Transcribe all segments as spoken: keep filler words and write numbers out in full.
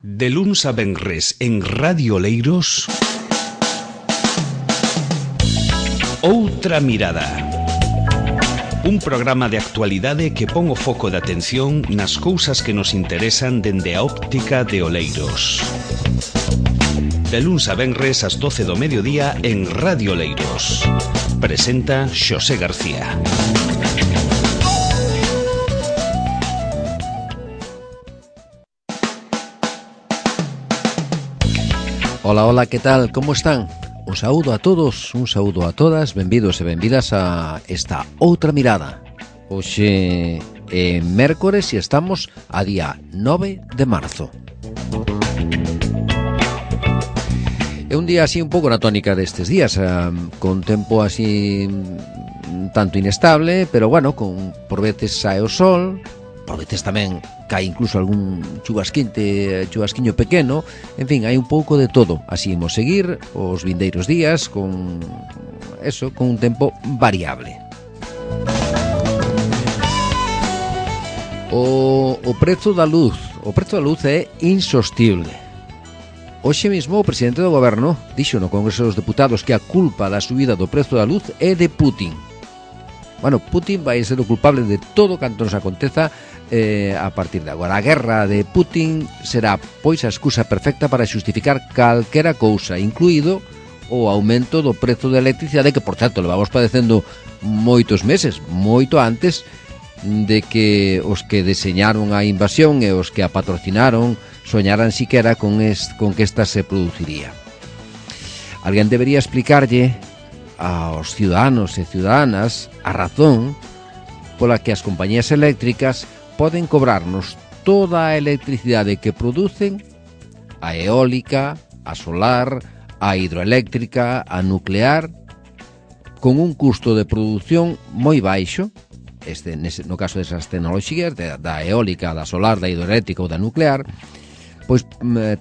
De luns a venres en Radio Oleiros, Outra Mirada. Un programa de actualidade que pon o foco de atención nas cousas que nos interesan dende a óptica de Oleiros. De luns a venres ás doce do mediodía en Radio Oleiros. Presenta Xosé García. Ola, ola, que tal? Como están? Un saúdo a todos, un saúdo a todas, benvidos e benvidas a esta Outra Mirada. Hoxe é mércores e estamos a día nove de marzo. É un día así un pouco na tónica destes días, eh, con tempo así tanto inestable, pero bueno, con por veces sae o sol, por veces tamén cae incluso algún chubasquinte, chubasquiño pequeno. En fin, hai un pouco de todo. Así imos seguir os vindeiros días con eso, con un tempo variable. O, o prezo da luz, o prezo da luz é insostible. Hoxe mesmo o presidente do goberno dixo no Congreso dos Deputados que a culpa da subida do prezo da luz é de Putin. Bueno, Putin vai ser o culpable de todo canto nos aconteza eh, a partir de agora. A guerra de Putin será, pois, a excusa perfecta para xustificar calquera cousa, incluído o aumento do prezo da electricidade, que, por certo, levamos padecendo moitos meses, moito antes de que os que deseñaron a invasión e os que a patrocinaron soñaran siquera con, est, con que esta se produciría. Alguén debería explicarlle aos ciudadanos e ciudadanas a razón pola que as compañías eléctricas poden cobrarnos toda a electricidade que producen, a eólica, a solar, a hidroeléctrica, a nuclear, con un custo de produción moi baixo, este, nese, no caso desas tecnoloxías, da, da eólica, da solar, da hidroeléctrica ou da nuclear, pois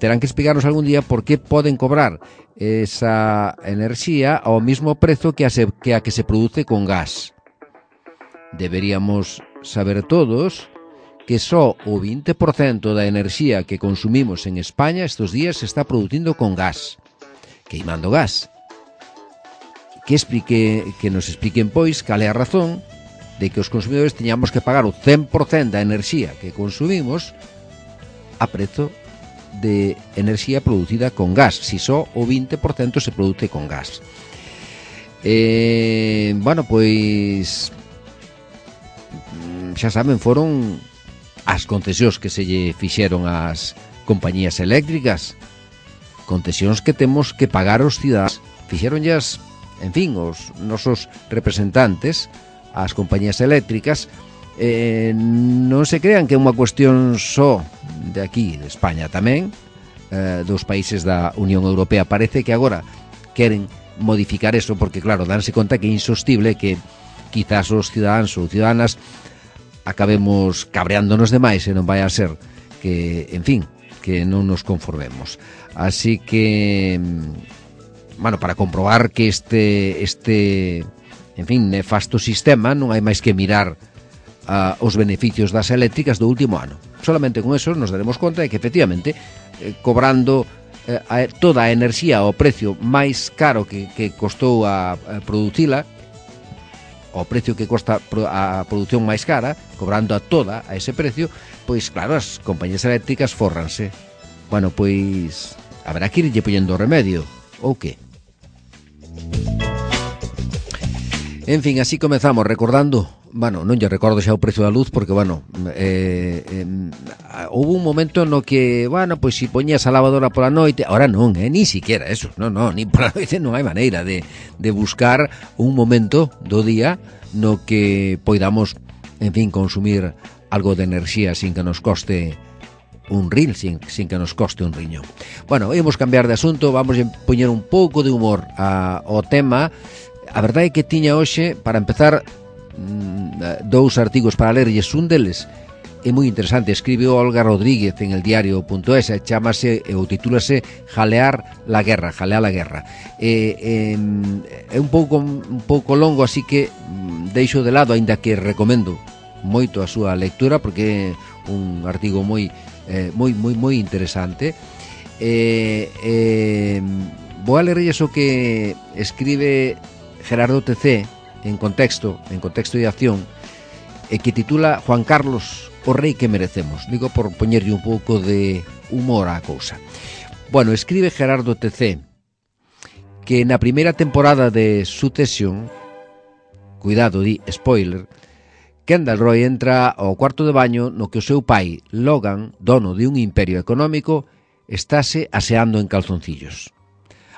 terán que explicarnos algún día por que poden cobrar esa enerxía ao mismo prezo que a, se, que a que se produce con gas. Deberíamos saber todos que só o vinte por cento da enerxía que consumimos en España estes días se está producindo con gas, queimando gas. Que explique, que nos expliquen, pois, cal é a razón de que os consumidores teñamos que pagar o cen por cento da enerxía que consumimos a prezo de enerxía producida con gas, si só o vinte por cento se produce con gas. Eh, bueno, pois xa saben, foron as concesións que se lle fixeron ás compañías eléctricas, concesións que temos que pagar os cidadás. Fixeronllas, en fin, os nosos representantes, as compañías eléctricas. Eh, non se crean que é unha cuestión só de aquí, de España tamén, eh, dos países da Unión Europea. Parece que agora queren modificar eso porque, claro, danse conta que é insostible que quizás os cidadáns ou ciudadanas acabemos cabreándonos demais e non vai a ser que, en fin, que non nos conformemos. Así que, bueno, para comprobar que este, este, en fin, nefasto sistema non hai máis que mirar Uh, os beneficios das eléctricas do último ano. Solamente con eso nos daremos conta de que, efectivamente, eh, cobrando eh, a, toda a enerxía ao precio máis caro que, que costou a, a producila, ao precio que costa a produción máis cara, cobrando a toda a ese precio, pois, claro, as compañías eléctricas fórranse. Bueno, pois, haberá que irlle poñendo remedio, ou que? En fin, así comezamos recordando. Bueno, non lle recordo xa o precio da luz porque, bueno, eh, eh, houve un momento no que, bueno, pois si poñías a lavadora pola noite, ahora non, eh, ni siquiera eso, non, non, ni pola noite non hai maneira de, de buscar un momento do día no que poidamos, en fin, consumir algo de enerxía sin que nos coste un ril, sin, sin que nos coste un riñón. Bueno, vamos cambiar de asunto, vamos a poñer un pouco de humor a, ao tema. A verdade é que tiña hoxe, para empezar, dous artigos para lerlles. Un deles é moi interesante, escribe Olga Rodríguez en el diario punto es, chamase ou titúlase Jalear la guerra, Jalear la guerra. É, é, é un pouco un pouco longo, así que deixo de lado, aínda que recomendo moito a súa lectura porque é un artigo moi eh, moi, moi, moi interesante. Eh, eh, vou a lerrelles o que escribe Gerardo T C en contexto, en contexto de acción, e que titula Juan Carlos, o rei que merecemos. Digo por poñerlle un pouco de humor á cousa. Bueno, escribe Gerardo T C que na primeira temporada de Succession, cuidado, di spoiler, Kendall Roy entra ao cuarto de baño no que o seu pai, Logan, dono de un imperio económico, estáse aseando en calzoncillos.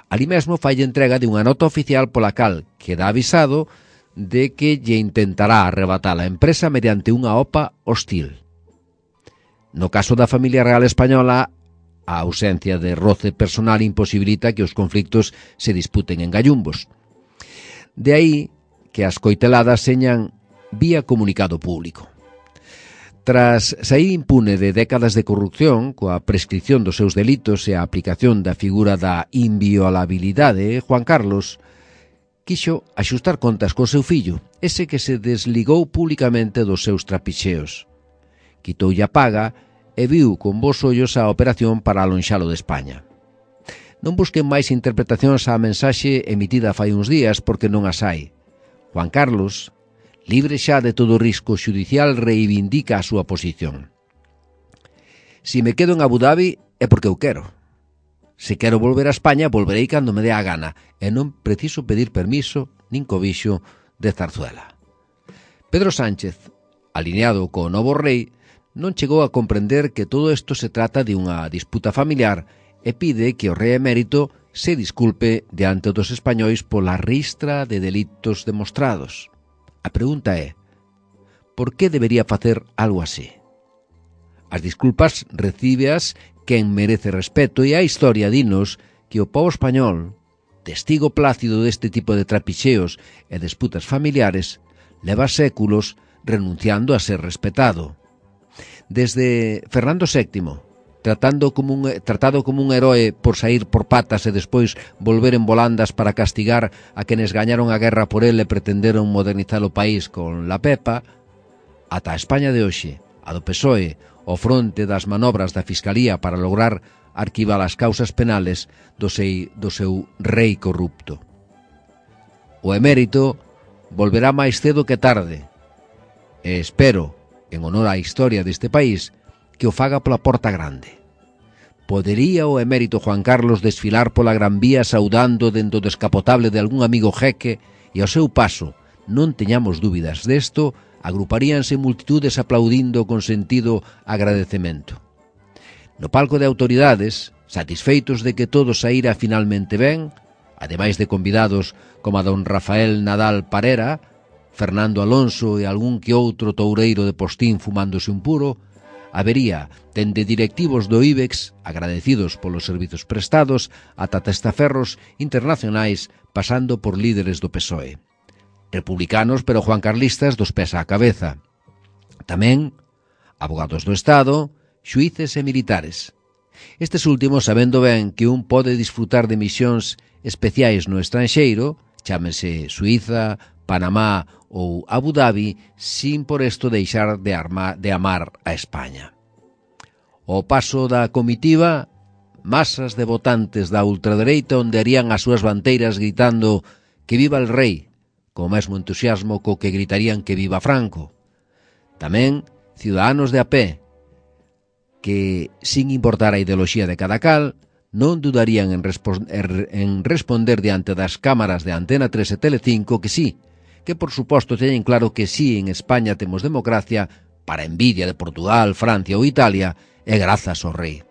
Ali mesmo falle entrega de unha nota oficial pola cal queda avisado de que lle intentará arrebatar a empresa mediante unha O P A hostil. No caso da familia real española, a ausencia de roce personal imposibilita que os conflictos se disputen en gallumbos. De aí que as coiteladas señan vía comunicado público. Tras saír impune de décadas de corrupción, coa prescripción dos seus delitos e a aplicación da figura da inviolabilidade, Juan Carlos quixo axustar contas co seu fillo, ese que se desligou públicamente dos seus trapixeos. Quitoulle a paga e viu con bons ollos a operación para alonxalo de España. Non busquen máis interpretacións á mensaxe emitida fai uns días porque non as hai. Juan Carlos, libre xa de todo risco xudicial, reivindica a súa posición. Si me quedo en Abu Dhabi é porque eu quero. Se quero volver a España, volverei cando me dé a gana e non preciso pedir permiso nin cobixo de Zarzuela. Pedro Sánchez, alineado co novo rei, non chegou a comprender que todo isto se trata de unha disputa familiar e pide que o rei emérito se disculpe diante dos españois pola ristra de delitos demostrados. A pregunta é, por que debería facer algo así? As disculpas recíbeas quen merece respeto e a historia dinos que o pobo español, testigo plácido deste tipo de trapixeos e disputas familiares, leva séculos renunciando a ser respetado. Desde Fernando sétimo, tratando como un, tratado como un heroe por sair por patas e despois volver en volandas para castigar a quenes gañaron a guerra por el e pretenderon modernizar o país con la Pepa, ata a España de hoxe, a do P S O E, ao fronte das manobras da Fiscalía para lograr arquivar as causas penales do, sei, do seu rei corrupto. O emérito volverá máis cedo que tarde, e espero, en honor á historia deste país, que o faga pola porta grande. Podería o emérito Juan Carlos desfilar pola Gran Vía saudando dentro do descapotable de algún amigo jeque e ao seu paso, non teñamos dúbidas desto, agruparíanse multitudes aplaudindo con sentido agradecemento. No palco de autoridades, satisfeitos de que todo saíra finalmente ben, ademais de convidados como a don Rafael Nadal Parera, Fernando Alonso e algún que outro toureiro de postín fumándose un puro, habería, dende directivos do IBEX, agradecidos polos servizos prestados, ata testaferros internacionais, pasando por líderes do P S O E. Republicanos, pero juancarlistas dos pés á cabeza. Tamén, abogados do Estado, xuíces e militares. Estes últimos sabendo ben que un pode disfrutar de misións especiais no estranxeiro, chámese Suíza, Panamá ou Abu Dhabi, sin por isto deixar de, arma, de amar a España. Ao paso da comitiva, masas de votantes da ultradereita ondearían as súas banteiras gritando que viva el rei, co mesmo entusiasmo co que gritarían que viva Franco. Tamén ciudadanos de a pé, que, sin importar a ideoloxía de cada cal, non dudarían en, en responder diante das cámaras de Antena tres e Telecinco que sí, que por suposto teñen claro que sí en España temos democracia para envidia de Portugal, Francia ou Italia e grazas ao rei.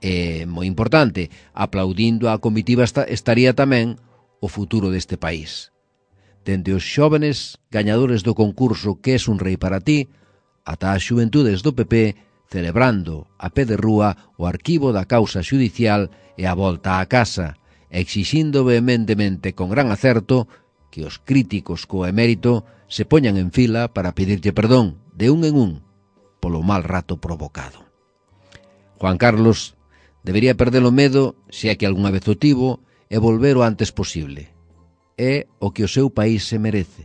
E, moi importante, aplaudindo a comitiva estaría tamén o futuro deste país. Dende os xóvenes gañadores do concurso Que es un rei para ti, ata as xuventudes do P P celebrando a pé de rúa o arquivo da causa xudicial e a volta á casa, exixindo vehementemente con gran acerto que os críticos co emérito se poñan en fila para pedirlle perdón de un en un polo mal rato provocado. Juan Carlos debería perder o medo, se é que algunha vez o tivo, e volver o antes posible. É o que o seu país se merece.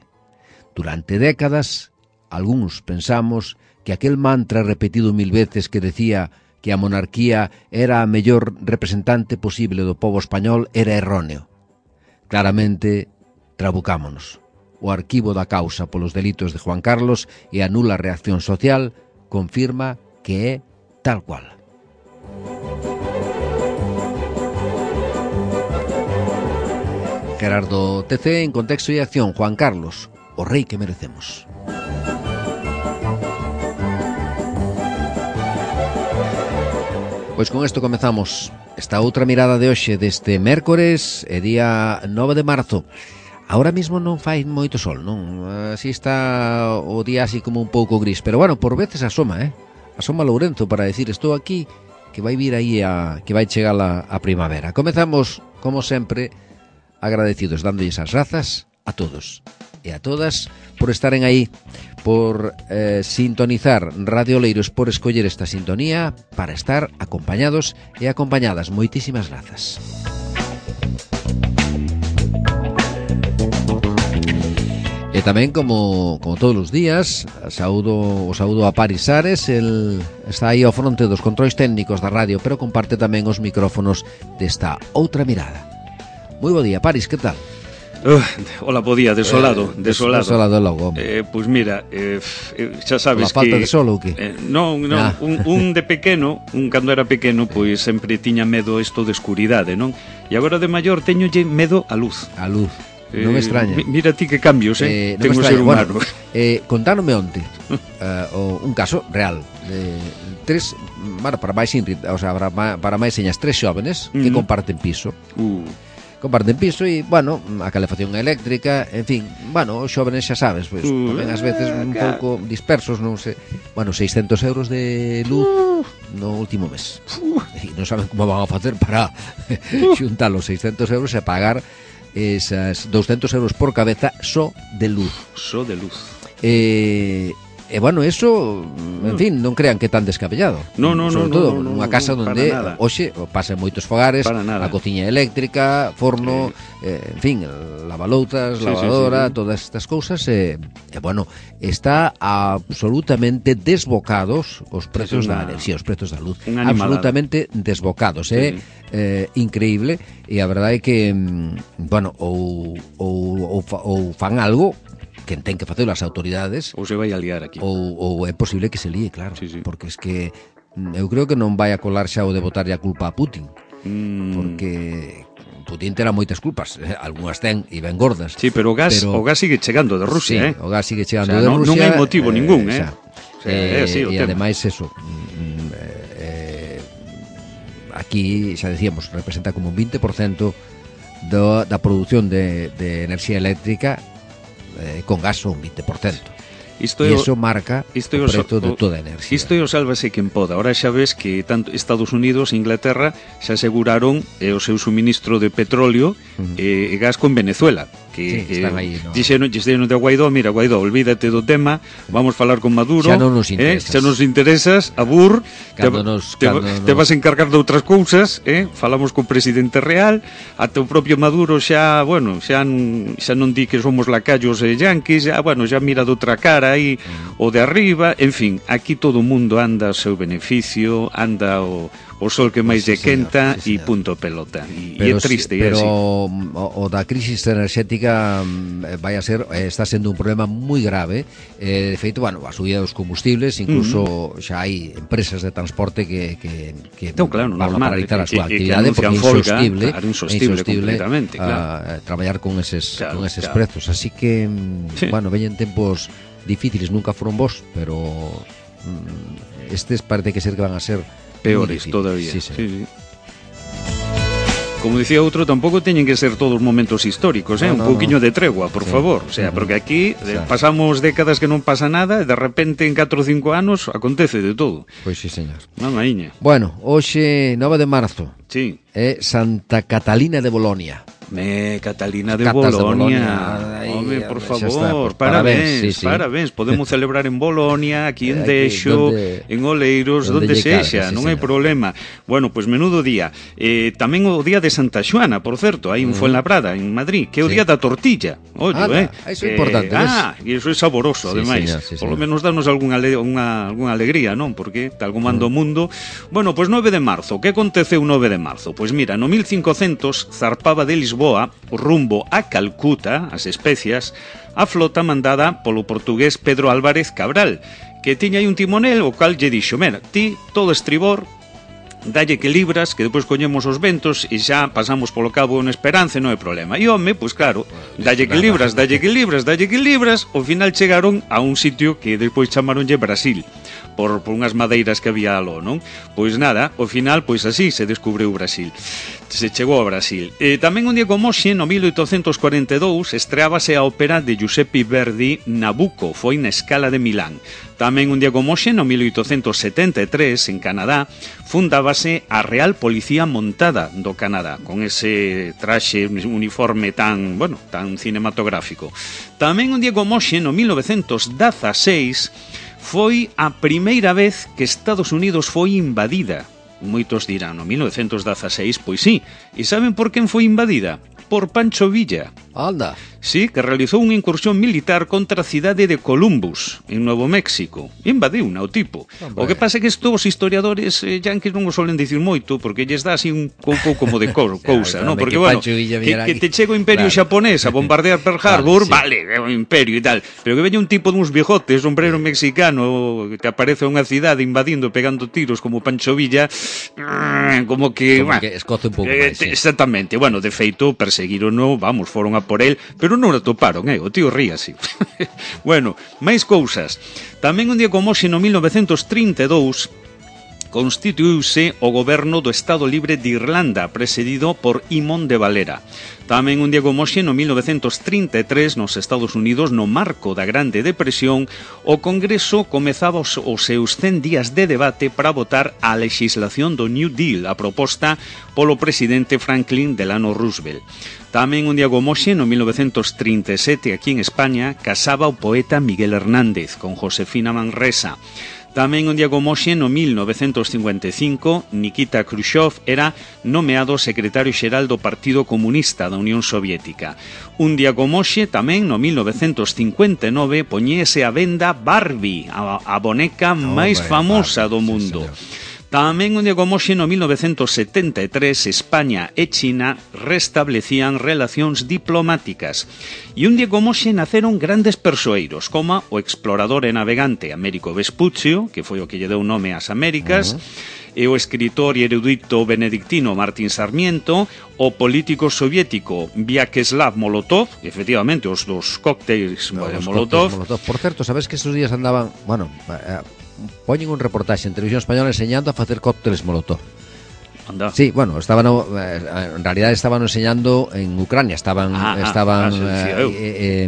Durante décadas, algúns pensamos que aquel mantra repetido mil veces que decía que a monarquía era a mellor representante posible do pobo español era erróneo. Claramente, trabucámonos. O arquivo da causa polos delitos de Juan Carlos e a nula reacción social confirma que é tal cual. Gerardo T C en Contexto e Acción. Juan Carlos, o rei que merecemos. Pois con isto comezamos esta outra mirada de hoxe deste mércores e día nove de marzo. Ahora mismo non fai moito sol, non? Así está o día así como un pouco gris, pero bueno, por veces asoma, eh? Asoma Lourenzo para decir estou aquí, que vai vir aí a que vai chegar a, a primavera. Comezamos, como sempre, agradecidos, dándolles as grazas a todos e a todas por estaren aí, por eh, sintonizar Radio Oleiros, por escoller esta sintonía para estar acompañados e acompañadas. Moitísimas grazas. E tamén, como, como todos os días, saúdo, o saúdo a Paris Ares. El está aí ao fronte dos controis técnicos da radio, pero comparte tamén os micrófonos desta outra mirada. Moi bo día, Paris, que tal? Uh, hola, bo día, desolado, eh, desolado. Desolado logo. Eh, pois pues mira, eh, xa sabes que... La falta de sol ou que? Eh, non, non, ah. un, un de pequeno, un cando era pequeno, pois sempre tiña medo isto de escuridade, non? E agora de maior teñolle medo a luz. A luz. Non me extraña. Eh, mira ti que cambios, eh? eh Tengo ser humano. Bueno, eh, contánome onte uh, un caso real de tres, bueno, para máis o sea, para, para máis señas tres xóvenes que uh-huh. comparten piso. Uh. Comparten piso e, bueno, a calefacción eléctrica, en fin, bueno, os xóvenes xa sabes, pois, uh, tamén ás veces un pouco dispersos, non sei, bueno, seiscentos euros de luz uh, no último mes. Uh, e non saben como van a facer para uh, xuntar os seiscentos euros e pagar esas doscientos euros por cabeza só de luz. Só de luz. Eh... E, bueno, eso, en fin, non crean que é tan descabellado. No, no, Sobre no, todo, no, no, nunha casa no, onde hoxe pasan moitos fogares, a cociña eléctrica, forno, eh, en fin, lavaloutas, sí, lavadora, sí, sí, sí. Todas estas cousas, e, eh, bueno, está absolutamente desbocados os prezos sí, una, da enerxía, os prezos da luz. Absolutamente desbocados, é sí. eh, increíble, e a verdade é que, bueno, ou, ou, ou, ou fan algo que ten que facer as autoridades, ou se vai a liar aquí, ou, ou é posible que se líe, claro, sí, sí. Porque es que eu creo que non vai a colar xa o de botarlle a culpa a Putin, mm. porque Putin terá moitas culpas, eh, algunhas ten e ben gordas. Sí, pero o gas, pero... o gas sigue chegando de Rusia, sí, eh? O gas sigue chegando o sea, de no, Rusia. Non hai motivo eh, ningún, eh? Xa, o sea, eh, é así o e tema. ademais eso, eh, aquí xa decíamos, representa como un vinte por cento do, da produción de, de enerxía eléctrica eh, con gas un vinte por cento. Isto e iso marca isto o prezo de toda a enerxía. Isto é o sálvase quen poda. Ahora xa ves que tanto Estados Unidos e Inglaterra xa aseguraron eh, o seu suministro de petróleo uh-huh. e, e gas con Venezuela. Que, sí, que están aí, no? Dixeron, dixeron de Guaidó, mira, Guaidó, olvídate do tema, vamos falar con Maduro. Xa non nos interesas. Eh, xa nos interesas, abur, te, nos, te, te vas a encargar de outras cousas, eh? Falamos co presidente real, ata o propio Maduro xa, bueno, xa, xa non di que somos lacayos e yanquis, xa, bueno, xa mira de outra cara aí, mm. o de arriba, en fin, aquí todo o mundo anda ao seu beneficio, anda o... o sol que máis sí, lle quenta e sí, punto pelota. E é triste. Pero así. o, o da crisis enerxética vai a ser, está sendo un problema moi grave. Eh, de feito, bueno, a subida dos combustibles, incluso uh-huh. xa hai empresas de transporte que, que, que no, claro, van normal, a paralizar a súa que, actividade que porque é insostible, claro, insostible, insostible claro. a, a traballar con eses, claro, con eses claro. prezos. Así que, sí. bueno, veñen tempos difíciles, nunca foron bons, pero mm, estes parece que ser que van a ser peores todavía. Sí, sí. Sí, sí. Como dicía outro, tampouco teñen que ser todos momentos históricos, eh? No, un no, pouquiño no. de tregua, por sí. favor. O sea, uh-huh. porque aquí o sea, pasamos décadas que non pasa nada e de repente en catro ou cinco anos acontece de todo. Pois sí, señor. Mamaíña. Bueno, hoxe nove de marzo. Sí. É Santa Catalina de Bolonia. Me, Catalina de Catas Bolonia. Aí, Home, por xa favor, está, pues, parabéns, parabéns, sí, sí. parabéns. Podemos celebrar en Bolonia, aquí en Aquí, Dexo, donde- en Oleiros, donde donde lle calga, sexa, sí, non hai señor. problema. Bueno, pois pues menudo día. Eh, tamén o día de Santa Xoana, por certo, aí en Fuenlabrada, en Madrid, que é o Sí. día da tortilla. Ollo, Anda, eh. iso é importante, Eh, ah, e iso é saboroso, Sí, ademais. señor, sí, Por lo señor. menos danos algunha, ale- unha, algunha alegría, non? Porque tal como anda o mundo. Bueno, pois nove de marzo. Que aconteceu nove de marzo? Pois mira, no mil cincocentos zarpaba de Lisboa rumbo a Calcuta, as Especias, a flota mandada polo portugués Pedro Álvarez Cabral, que tiña aí un timonel o cal lle dixo: "Mira, ti todo estribor, dalle que libras, que depois coñemos os ventos e xa pasamos polo cabo en Esperanza, non hai problema." E home, pois claro, dalle que libras, dalle que libras, dalle que libras, ao final chegaron a un sitio que despois chamaronlle Brasil, por, por unhas madeiras que había aló, non? Pois nada, ao final, pois así se descubriu Brasil. Se chegou a Brasil. E tamén un día como hoxe, no mil oitocentos cuarenta e dous, estreábase a ópera de Giuseppe Verdi, Nabucco, foi na Scala de Milán. Tamén un día como hoxe, no mil oitocentos setenta e tres, en Canadá, fundábase a Real Policía Montada do Canadá, con ese traxe uniforme tan, bueno, tan cinematográfico. Tamén un día como hoxe, no mil novecentos dezaseis, foi a primeira vez que Estados Unidos foi invadida. Moitos dirán, no mil novecentos dezaseis, pois sí. E saben por quen foi invadida? Por Pancho Villa. Anda. Sí, que realizou unha incursión militar contra a cidade de Columbus, en Novo México. Invadiu o tipo. Hombre. O que pasa é que estos os historiadores eh, yanquis non o solen dicir moito, porque lles dá así un pouco como de co cousa, Claro, non? que Porque, bueno, Pancho Villa que, viera que aquí. te chega o imperio Claro. xaponés a bombardear Pearl Vale, Harbor, sí. vale, é un imperio e tal. Pero que veña un tipo duns bigotes, sombrero mexicano, que te aparece a unha cidade invadindo, pegando tiros como Pancho Villa, como que... Como bah, que escoce un pouco eh, máis, sí. Exactamente, bueno, de feito, perseguirono, vamos, foron a por el, pero non o atoparon, eh, o tío ría así. Bueno, máis cousas. Tamén un día como hoxe, no mil novecentos trinta e dous, constituíuse o goberno do Estado Libre de Irlanda, presidido por Imón de Valera. Tamén un día como hoxe, no mil novecentos trinta e tres, nos Estados Unidos, no marco da Grande Depresión, o Congreso comezaba os, os seus cen días de debate para votar a legislación do New Deal, a proposta polo presidente Franklin Delano Roosevelt. Tamén un día como hoxe, no mil novecentos trinta e sete, aquí en España, casaba o poeta Miguel Hernández con Josefina Manresa. Tamén un día como hoxe, no mil novecentos cincuenta e cinco, Nikita Khrushchev era nomeado secretario xeral do Partido Comunista da Unión Soviética. Un día como hoxe, tamén no mil novecentos cincuenta e nove, poñese a venda Barbie, a, a boneca máis Hombre, famosa Barbie, do sí, mundo. señor. Tamén un día como hoxe, no mil novecentos setenta e tres, España e China restablecían relacións diplomáticas. E un día como hoxe naceron grandes persoeiros, como o explorador e navegante Américo Vespuccio, que foi o que lle deu nome ás Américas, uh-huh. e o escritor e erudito benedictino Martín Sarmiento, o político soviético Vyacheslav Molotov, efectivamente, os dos cócteles No, de los Molotov. cócteles Molotov. Por certo, sabes que esos días andaban, bueno, eh, poñen un reportaxe en Televisión Española enseñando a facer cócteles Molotov. Anda. Sí, bueno, estaban eh, en realidad estaban enseñando en Ucrania, estaban Ah, ah, estaban ah, sí, sí, eh, eu. eh, eh,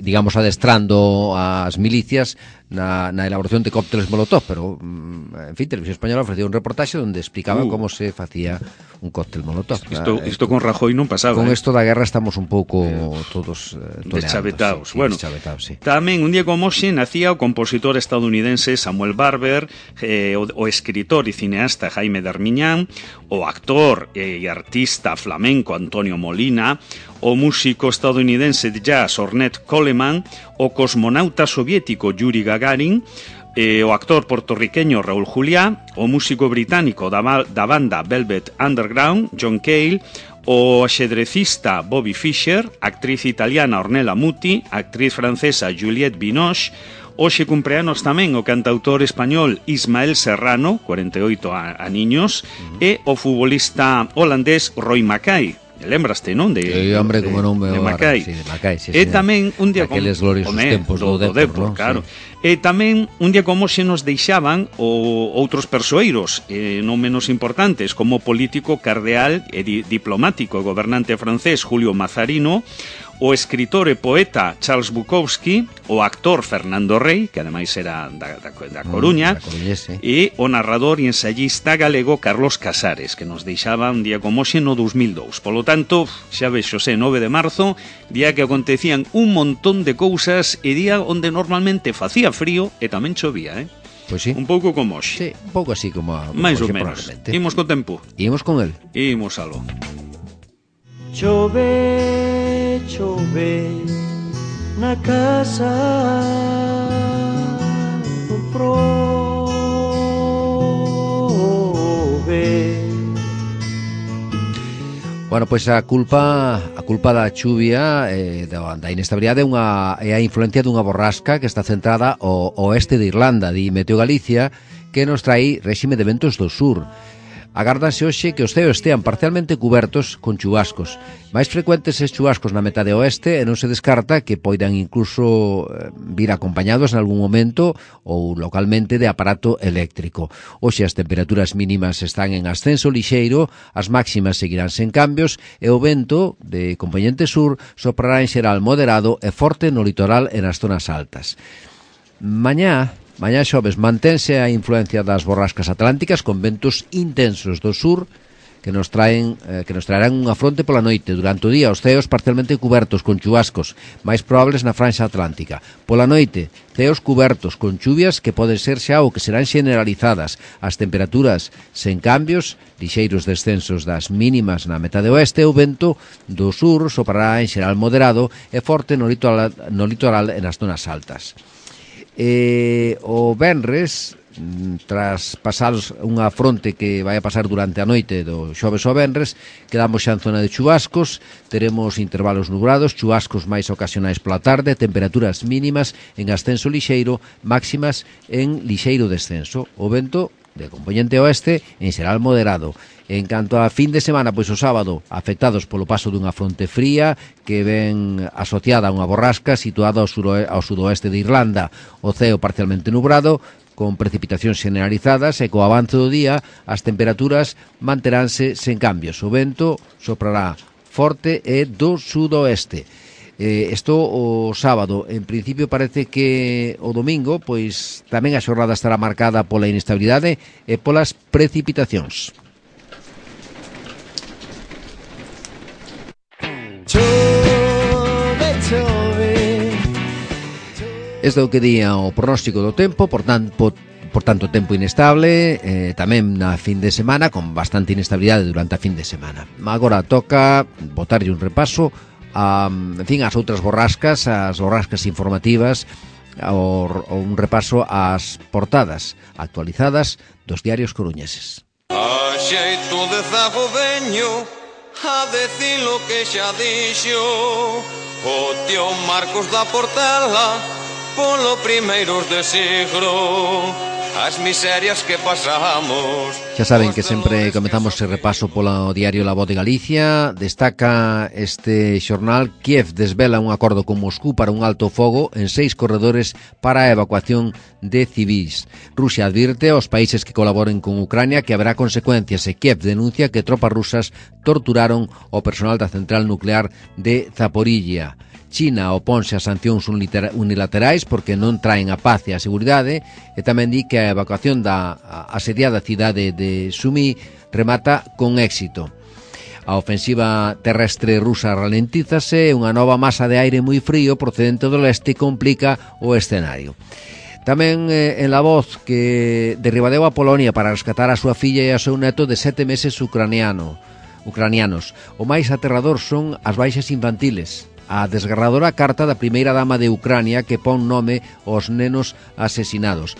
digamos adestrando as milicias na, na elaboración de cócteles Molotov, pero mm, en fin, Televisión Española ofrecía un reportaxe onde explicaba Uh. como se facía un cóctel Molotov. Isto, Eh, isto con Rajoy non pasaba. con eh. esto da guerra estamos un pouco todos eh, toleando, Deschavetaos. sí, sí, Bueno, deschavetaos, sí. tamén un día como hoxe nacía o compositor estadounidense Samuel Barber, eh, o, o escritor e cineasta Jaime Darmiñán, o actor e artista flamenco Antonio Molina, o músico estadounidense de jazz Ornette Coleman, o cosmonauta soviético Yuri Gagarin, eh, o actor portorriqueño Raúl Juliá, o músico británico da, da banda Velvet Underground John Cale, o xedrecista Bobby Fischer, actriz italiana Ornella Muti, actriz francesa Juliette Binoche. Hoxe cumpleanos tamén o cantautor español Ismael Serrano, cuarenta e oito aniños, uh-huh. e o futbolista holandés Roy Mackay. Lembraste, non? De, Sí, hombre, como non me de agora, Mackay. sí, de Mackay, sí, E señor. tamén un día Aqueles gloriosos tempos do Depor, Depor, non? claro. Sí. E tamén un día como se nos deixaban o outros persoeiros, eh, non menos importantes, como o político cardeal e di, diplomático e gobernante francés Julio Mazarino, o escritor e poeta Charles Bukowski, o actor Fernando Rey, que ademais era da, da, da Coruña, mm, e o narrador e ensayista galego Carlos Casares, que nos deixaba un día como hoxe no dos mil dous. Polo tanto, xa vexo, xe, nove de marzo, día que acontecían un montón de cousas e día onde normalmente facía frío e tamén chovía, eh? Pois sí. Un pouco como hoxe. Sí, un pouco así como a, máis ou menos. Imos co tempo. Imos con el. Imos aló. Chove, chove na casa do prove. Bueno, pois a culpa a culpa da chuvia eh, da, da inestabilidade é, unha, é a influencia dunha borrasca que está centrada ao oeste de Irlanda, di Meteo Galicia, que nos trai réxime de ventos do sur. Agárdanse hoxe que os ceos estean parcialmente cubertos con chubascos. Mais frecuentes estes chubascos na metade oeste e non se descarta que poidan incluso vir acompañados en algún momento ou localmente de aparato eléctrico. Hoxe as temperaturas mínimas están en ascenso lixeiro, as máximas seguirán sen cambios e o vento de componente sur soprará en xeral moderado e forte no litoral e nas zonas altas. Mañá Mañá xoves mantense a influencia das borrascas atlánticas con ventos intensos do sur que nos traen eh, que nos traerán unha fronte pola noite. Durante o día os ceos parcialmente cubertos con chubascos máis probables na franxa atlántica. Pola noite, ceos cubertos con chuvias que poden ser xa ou que serán generalizadas. As temperaturas sen cambios, lixeiros descensos das mínimas na metade oeste, o vento do sur soprará en xeral moderado e forte no litoral, no litoral e nas zonas altas. E o venres, tras pasaros unha fronte que vai a pasar durante a noite do xoves ao venres, quedamos xa en zona de chubascos, teremos intervalos nubrados, chubascos máis ocasionais pola tarde, temperaturas mínimas en ascenso lixeiro, máximas en lixeiro descenso. O vento de componente oeste en xeral moderado. En canto a fin de semana, pois o sábado, afectados polo paso dunha fronte fría que ven asociada a unha borrasca situada ao, suro, ao sudoeste de Irlanda. O ceo parcialmente nubrado, con precipitacións generalizadas e co avance do día as temperaturas manteránse sen cambios. O vento soprará forte e do sudoeste. Eh, isto o sábado, en principio parece que o domingo pois tamén a xornada estará marcada pola inestabilidade e polas precipitacións. Chove, chove. Este é o que día o pronóstico do tempo, por tanto, por tanto tempo inestable, eh, tamén na fin de semana, con bastante inestabilidade durante a fin de semana. Agora toca botarlle un repaso a, en fin, as outras borrascas, as borrascas informativas, o, o un repaso ás portadas actualizadas dos diarios coruñeses. A xeito de zago veño a decir lo que xa dixo o tío Marcos da Portela polo primeiros de siglo, as miserias que pasamos. Xa saben que sempre comezamos ese repaso polo diario La Voz de Galicia. Destaca este xornal: Kiev desvela un acordo con Moscú para un alto fogo en seis corredores para a evacuación de civis. Rusia advirte aos países que colaboren con Ucrania que haberá consecuencias e Kiev denuncia que tropas rusas torturaron o personal da central nuclear de Zaporilla. China oponse a sancións unilaterais porque non traen a paz e a seguridade e tamén di que a evacuación da asediada cidade de Sumi remata con éxito. A ofensiva terrestre rusa ralentízase e unha nova masa de aire moi frío procedente do leste complica o escenario. Tamén eh, en La Voz que derribadeu a Polonia para rescatar a súa filla e a seu neto de sete meses ucraniano, ucranianos. O máis aterrador son as baixas infantiles. A desgarradora carta da primeira dama de Ucrania que pon nome aos nenos asesinados.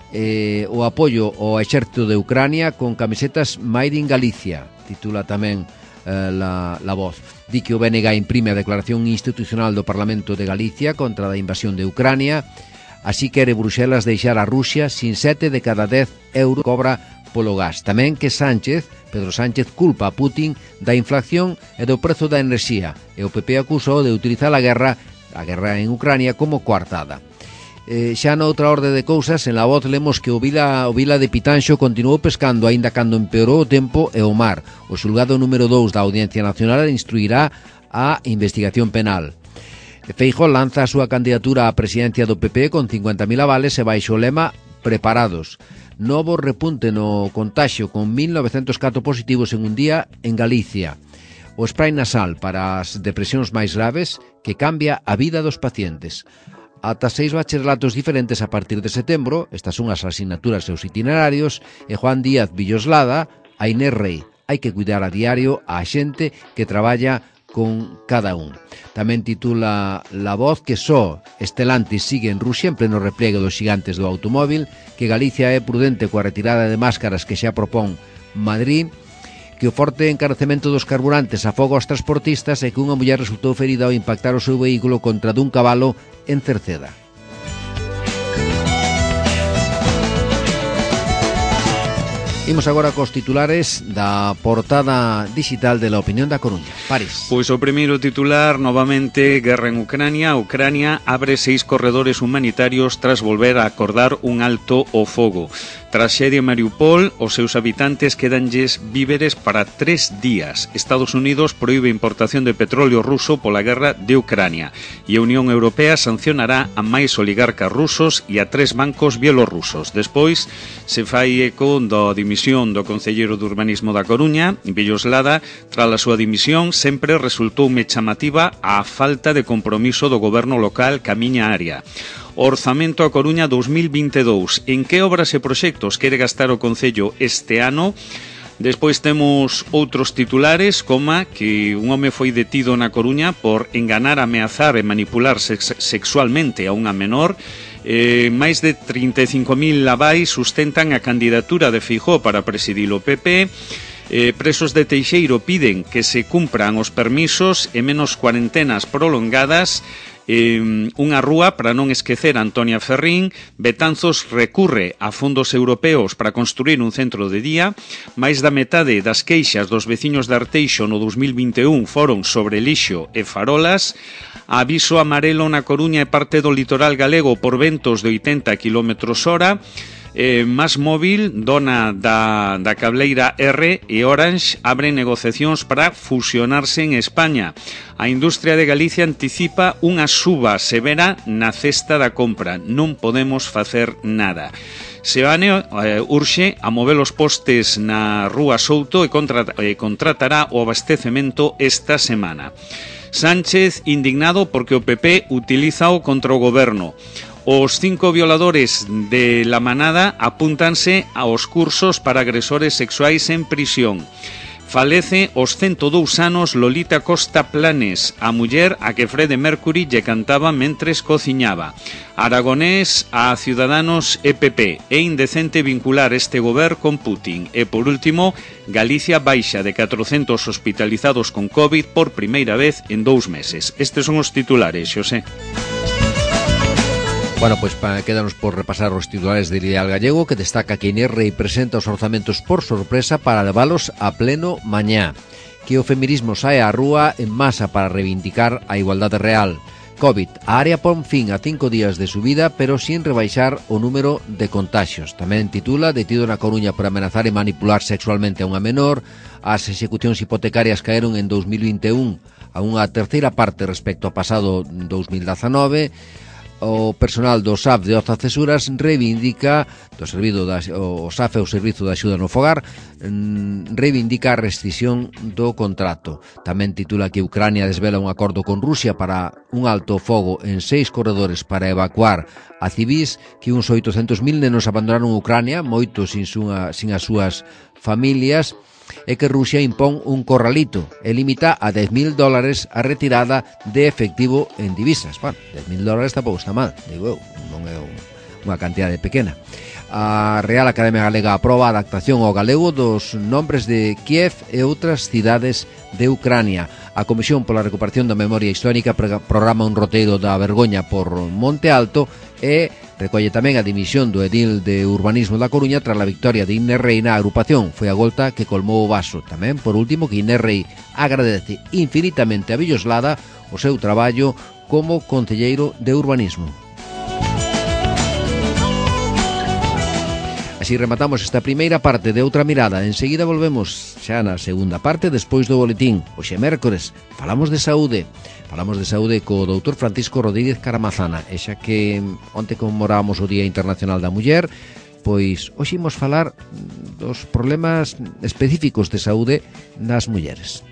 Eh, o apoio ao exército de Ucrania con camisetas Made in Galicia, titula tamén eh, la, la Voz. Di que o B N G imprime a declaración institucional do Parlamento de Galicia contra a invasión de Ucrania. Así quere Bruxelas deixar a Rusia sin sete de cada dez euros cobra polo gas. Tamén que Sánchez, Pedro Sánchez, culpa a Putin da inflación e do prezo da enerxía e o P P acusou de utilizar a guerra a guerra en Ucrania como coartada. Eh, xa noutra orde de cousas, en La Voz lemos que o Vila, o Vila de Pitanxo continuou pescando aínda cando empeorou o tempo e o mar. O xulgado número dous da Audiencia Nacional instruirá a investigación penal. Feijóo lanza a súa candidatura á presidencia do P P con cincuenta mil avales e baixo o lema preparados. Novo repunte no contagio con mil novecentos catro positivos en un día en Galicia. O spray nasal para as depresións máis graves que cambia a vida dos pacientes. Ata seis bacharelatos diferentes a partir de setembro, estas son as asignaturas e os itinerarios, e Juan Díaz Villoslada, a Inés Rei. Hai que cuidar a diario a xente que traballa con cada un. Tamén titula La Voz que só Estelantis sigue en Rusia en pleno repliegue dos xigantes do automóvil, que Galicia é prudente coa retirada de máscaras que xa propón Madrid, que o forte encarecemento dos carburantes afoga aos transportistas e que unha muller resultou ferida ao impactar o seu vehículo contra dun cabalo en Cerceda. Imos agora cos titulares da portada digital de La Opinión da Coruña. París. Pois o primeiro titular, novamente, guerra en Ucrania. Ucrania abre seis corredores humanitarios tras volver a acordar un alto o fogo. Traxedia en Mariupol, os seus habitantes quedanlles víveres para tres días. Estados Unidos proíbe importación de petróleo ruso pola guerra de Ucrania. E a Unión Europea sancionará a máis oligarcas rusos e a tres bancos bielorrusos. Despois se fai eco da dimisión do concelleiro de Urbanismo da Coruña, Villoslada. Tras a súa dimisión, sempre resultoume chamativa a falta de compromiso do goberno local ca miña área. Orzamento a Coruña dos mil vinte e dous. En que obras e proxectos quere gastar o Concello este ano? Despois temos outros titulares, coma que un home foi detido na Coruña por enganar, ameazar e manipular sex sexualmente a unha menor. Eh, máis de trinta e cinco mil avais sustentan a candidatura de Feijóo para presidir o P P. Eh, presos de Teixeiro piden que se cumpran os permisos e menos cuarentenas prolongadas. Eh, unha rúa para non esquecer a Antonia Ferrín. Betanzos recurre a fondos europeos para construir un centro de día. Máis da metade das queixas dos veciños de Arteixo no dos mil vinte e un foron sobre lixo e farolas. Aviso amarelo na Coruña e parte do litoral galego por ventos de oitenta quilómetros hora. Eh, Másmóvil, dona da, da cableira R, e Orange abren negociacións para fusionarse en España. A industria de Galicia anticipa unha suba severa na cesta da compra. Non podemos facer nada. Seane eh, urxe a mover os postes na Rúa Souto e contra, eh, contratará o abastecemento esta semana. Sánchez indignado porque o P P utilízao contra o goberno. Os cinco violadores de La Manada apúntanse aos cursos para agresores sexuais en prisión. Falece os ciento dous anos Lolita Costa Planes, a muller a que Freddie Mercury lle cantaba mentres cociñaba. Aragonés a Ciudadanos e P P. É indecente vincular este goberno con Putin. E, por último, Galicia baixa de catrocentos hospitalizados con COVID por primeira vez en dous meses. Estes son os titulares, Xosé. Bueno, pois pues, quedanos por repasar os titulares de Ideal Gallego, que destaca que Inés Rei presenta os orzamentos por sorpresa para levalos a pleno mañá. Que o feminismo sae á rúa en masa para reivindicar a igualdade real. COVID. A área pon fin a cinco días de subida, pero sin rebaixar o número de contagios. Tamén titula Detido na Coruña por amenazar e manipular sexualmente a unha menor. As execucións hipotecarias caeron en dos mil vinte e un a unha terceira parte respecto ao pasado dos mil dezanove. O personal do S A F de Oza Cesuras reivindica do servido da, o S A F é o Servizo de Axuda no Fogar, reivindica a rescisión do contrato. Tamén titula que Ucrania desvela un acordo con Rusia para un alto fogo en seis corredores para evacuar a civis, que uns oitocentos mil nenos abandonaron Ucrania, moitos sin, súa, sin as súas familias, e que Rusia impón un corralito e limita a dez mil dólares a retirada de efectivo en divisas. Bueno, dez mil dólares tampouco está mal, digo eu, non é unha cantidade pequena. A Real Academia Galega aproba a adaptación ao galego dos nombres de Kiev e outras cidades de Ucrania. A Comisión pola Recuperación da Memoria Histórica programa un roteiro da vergoña por Monte Alto e recolle tamén a dimisión do edil de Urbanismo da Coruña tras a victoria de Inés Rei na agrupación. Foi a golta que colmou o vaso. Tamén, por último, que Inés Rei agradece infinitamente a Villoslada o seu traballo como concelleiro de Urbanismo. Así rematamos esta primeira parte de Outra Mirada. Enseguida volvemos xa na segunda parte, despois do boletín. Hoxe mércores, falamos de saúde. Falamos de saúde co doutor Francisco Rodríguez Caramazana. E xa que onte conmemorábamos o Día Internacional da Muller, pois hoxe imos falar dos problemas específicos de saúde nas mulleres.